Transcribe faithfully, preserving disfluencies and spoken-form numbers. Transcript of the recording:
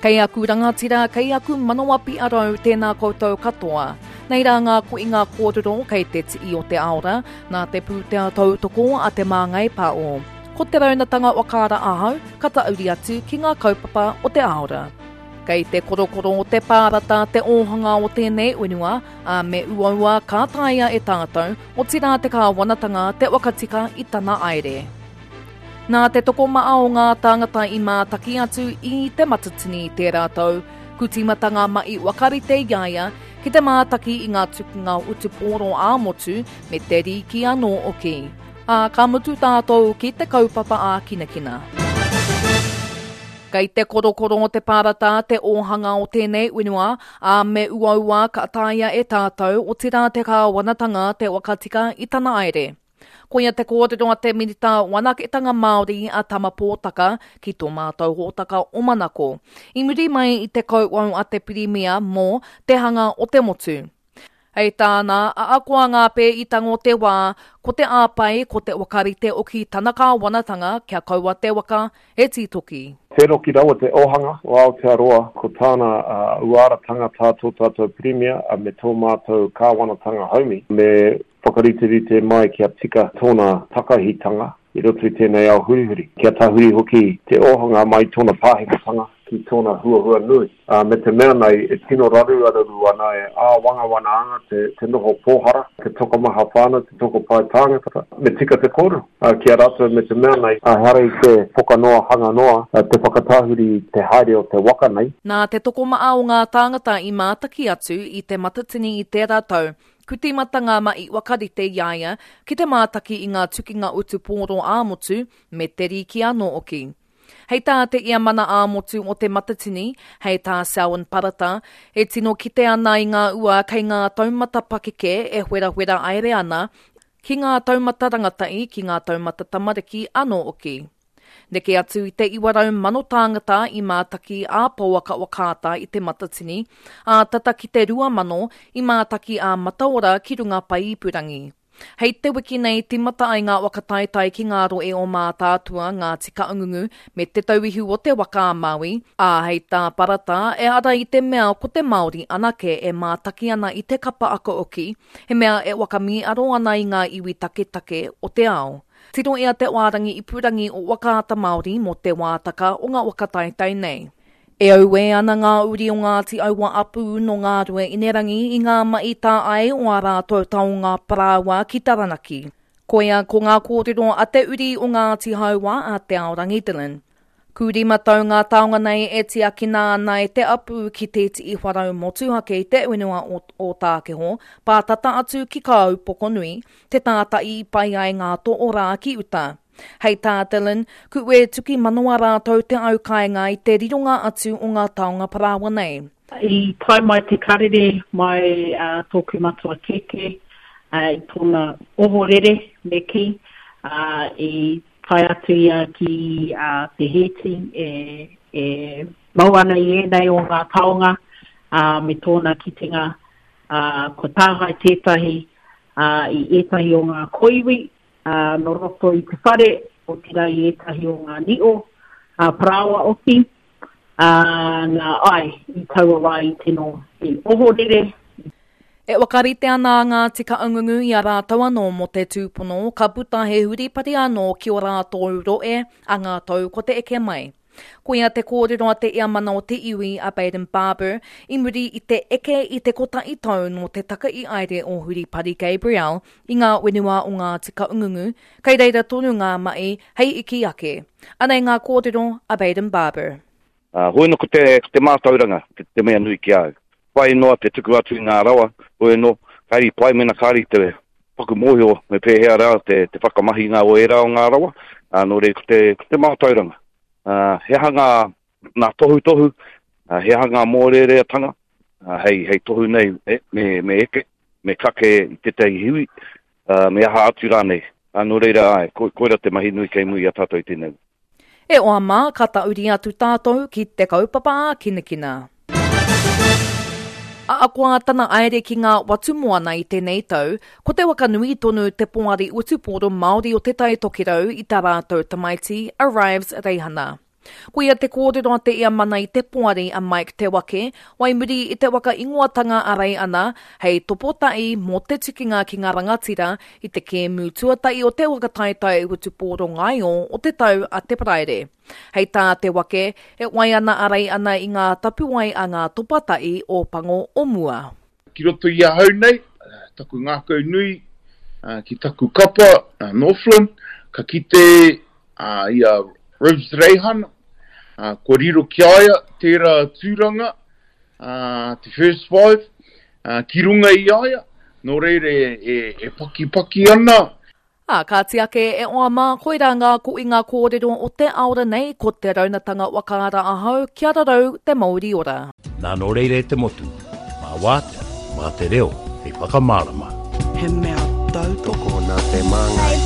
Kei aku rangatira, kei aku manawa piarau, tēnā koutou katoa. Nei rā ngā koinga kōrero kei te tii o te aora, nā te pūtea tautoko a Te Māngai Pāo. Ko te raunatanga wakaara ahau, ka tauri atu ki ngā kaupapa o te aora. Kei te korokoro o te pārata te ōhanga o tēnei whenua, ā me uaua ka taea e tātou, otirā te kāwanatanga te whakatika i tana aere. Nā te tokomaha o ngā tāngata i mātaki atu i Te Matatini tērā tau, ku tīmata ngā mahi whakarite i a ia ki te mātaki i ngā tukunga utupōro ā-motu me te rīki anō hoki. Ā, ka mutu tātou ki te kaupapa ā-kinakina. Kei te korokoro o te pārata te ōhanga o tēnei whenua, ā, me uaua ka taea e tātou, otirā te kāwanatanga te whakatika i tana aere. Koia te kōrero a te Minita Whanaketanga Māori a Tama Pōtaka ki tō mātou hōtaka o Manako. I muri mai i te kauwau a te Pirimia mō te hanga o te motu. Hei tāna, ahakoa ngā pēitanga o te wā, ko te āpai, ko te whakarite oki tana kāwanatanga kia kaua te waka e tītoki. Wheroki rawa te ōhanga o Aotearoa, ko tāna uh, uaratanga tā tō tātou Pirimia me tō mātou kāwanatanga haumi, me whakariterite mai kia tika tōna takahitanga i roto i tēnei ao hurihuri. Kia tahuri hoki te ōhanga mai tōna pāhekatanga ki tōna huahua nui. Uh, me te mea nei, e tino raru araru ana e āwangawana anga te, te noho pōhara, te tokomaha whānau, te tokopae tāngata, me tika te kōrero. Uh, ki a rātou me te mea nei, uh, hara i te pokanoa hanga noa, uh, te whakatahuri te haere o te waka nei. Nā te tokomaha o ngā tāngata i mātaki atu i Te Matatini i tērā tau, ku tīmata ngā mahi whakarite i a ia ki te mātaki i ngā tukinga utupōro ā-motu me te rīki anō hoki. Hei tā te ia mana ā-motu o Te Matatini, hei tā Selwyn Parata, e tino kite ana i ngā ua kei ngā taumata pakeke e wherawhera aere ana, ki ngā taumata rangatahi, ki ngā taumata tamariki anō hoki. Neke atu i te iwa rau mano tāngata i mātaki ā-pouaka whakaata i Te Matatini, ā tata ki te rua mano i mātaki ā-mataora ki runga pae ipurangi. Hei te wiki nei tīmata ai ngā whakataetae ki ngā rohe o Mātaatua, Ngāti Kahungunu me Te Tauihu o Te Waka a Māui, ā, hei tā Parata, ehara i te mea ko te Māori anake e mātaki ana i te kapa akaoki, he mea e whakamīharo ana i ngā iwi taketake o te ao. Tirohia te wārangi ipurangi o Whakaata Māori mō te wātaka o ngā whakataetae nei. E auē ana ngā uri o Ngāti Aua Apū nō Ngā Inerangi i ngā mahi tāai o ā rātou taonga parāoa ki Taranaki. Koia ko ngā kōrero a te uri o Ngāti Hauā a Te Aorangi Dillon. Ku rima tau ngā taonga nei e tiakina ana e te apū ki te tihi wharau motuhake i te whenua o Ōtākeho, pātata atu ki Kāupokonui, te tātai i pai ai ngā toorā ki uta. Hei tā Dillon, ku e tuki manawa rātou te au kāinga i te rironga atu o ngā taonga parāoa nei. I tae mai te karere mai uh, tōku matua kēkē uh, i tōna ohorere me kī, uh, i tae atu ia ki uh, te hēti e, e mau ana i ēnei o ngā taonga uh, me tōna kitenga uh, ko tāhae tētahi uh, i ētahi o ngā koiwi uh, no roto i te whare, otirā i ētahi o ngā ni'o, uh, parāoa oki, uh, nā ai i taua wā i tino i ohorere. E whakarite ana a Ngāti Kahungunu i a rātou anō mō te tūpono, ka puta he huripari anō ki o rātou rohe a ngā tau ko te eke mai. Koia te kōrero a te iamana o te iwi a Baden Barber i muri i te eke i te kotahi tau nō te taka i aere o Huripari Gabrielle i ngā whenua o Ngāti Kahungunu, kei reira tonu ngā mahi hei iki ake. Anei ngā kōrero a Baden Barber. Uh, hoi no ko te, ko te mātauranga, te, te mea nui ki au. Pai noa te tuku atu i ngā rawa, hoi no, kāri pai mena kāri te paku mōhio me pēhea rā te, te whakamahinga o ērā o ngā rawa, uh, nō reira ko te, ko te mātauranga. Uh, he aha ngā, ngā tohutohu, uh, he aha ngā mōrereatanga, uh, hei, hei tohu nei e, me, me eke, me kake i tētahi hiwi, uh, me aha atu rānei. Uh, nō reira, ai, ko, koira te mahi nui kei muri i a tātou i tēnei. E oa mā, ka tauri atu tātou ki te kaupapa ā-kinakina. Ahakoa tana aere ki ngā watu moana i tēnei tau, ko te waka nui tonu te poari utupōro Māori o Te Tai Tokerau i tā rātou tamaiti, a Rives Reihana. Koia te kōrero a te Iamana i te poari a Mike Te Wake, wai muri i te waka ingoatanga a Rei Ana hei topota'i mō te tukinga ki ngā rangatira i te kēmu tuatahi o te waka taetae whutupōro ngaio o te tau a te Paraire. Hei tā Te Wake, e wai ana a Rei Ana i ngā tapuwae a ngā topata'i o Pango o mua. Ki roto i ahau nei, taku ngākau nui ki taku kapa, Northland, ka kite i a Rivs Reihana, kua riro ki a ia tērā tūranga, te first five, ki runga i a ia, nō reira e pakipaki ana. Ā, kāti ake e oa mā, koirā ngā koinga kōrero o te aora nei, ko te raunatanga whakaara ahau, kia rarau te mauri ora. Nā nō reira e te motu, mā wātea, mā te reo, hei whakamārama. He mea tautoko. Tokona te māngai. Hei